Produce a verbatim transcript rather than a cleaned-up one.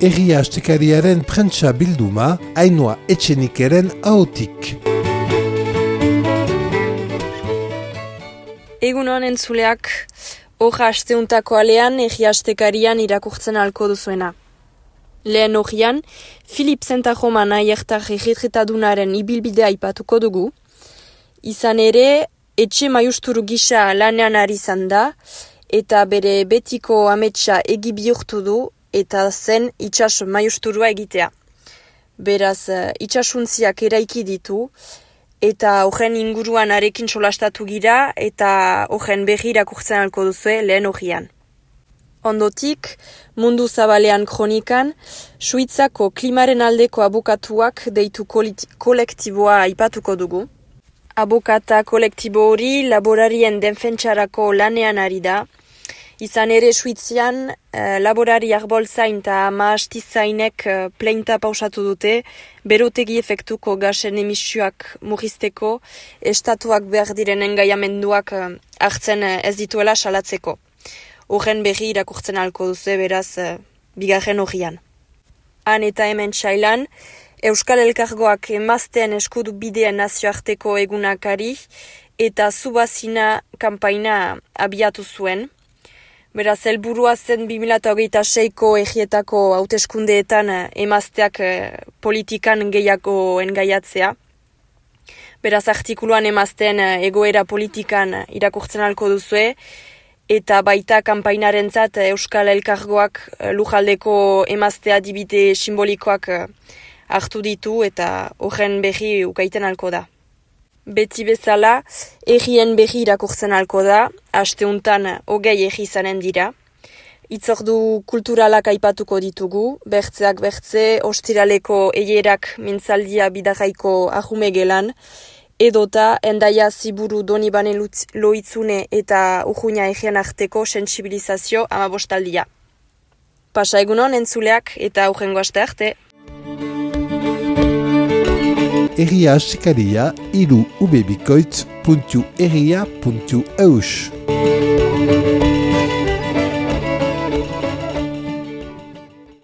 Egia astekariaren prentsa bilduma, Ainhoa Etxenikeren ahotik. Egun honen zuleak, hoja asteuntako alean egia astekarian irakurtzen alko duzuena. Lehen hogian, Filip Zentajoman aiertar egitritadunaren ibilbidea aipatuko dugu. Izan ere, etxe maiusturu gisa lanean ari izan da, eta bere betiko ametsa egi bihurtu du, eta zen itxas maiusturua egitea. Beraz, itxasuntziak eraiki ditu, eta horren inguruan arekin solastatu gira, eta horren berri irakurtzen alko duzue lehen hogian. Ondotik, Mundu Zabalean kronikan, Suitzako klimaren aldeko abokatuak deitu kolektiboa aipatuko dugu. Abokata kolektibo hori laborarien defentsarako lanean ari da. Izan ere Suitzian, eh, laborari arbolzain eta maastizainek eh, pleinta pausatu dute, berotegi efektuko gasen emisioak murrizteko, estatuak behar diren engaiamenduak eh, hartzen eh, ez dituela salatzeko. Horren berri irakurtzen alko duzu beraz eh, bigarren hogian. Han eta hemen txailan, Euskal Elkargoak emazteen eskudu bideen nazioarteko egunakari eta zubazina kanpaina abiatu zuen. Beraz, helburua zen bi mila hogeita seiko egietako hauteskundeetan emazteak politikan gehiago engaiatzea. Beraz, artikuluan emazteen egoera politikan irakurtzen alko duzue, eta baita kanpainarentzat Euskal Elkargoak lujaldeko emaztea adibide simbolikoak hartu ditu eta horren berri ukaiten alko da. Beti bezala, egien berri irakurtzen alko da, asteuntan hogei egi izanen dira. Itzordu kulturalak aipatuko ditugu, bertzeak bertze, ostiraleko eierak mintzaldia bidarraiko ahume gelan, edota Endaia Ziburu Donibane Loitzune eta Urruña egien arteko sentsibilizazio amabostaldia. Pasa egunon entzuleak eta aurrengo aste arte. Egia astekaria hiru ubebikoitz puntu egia puntu eus.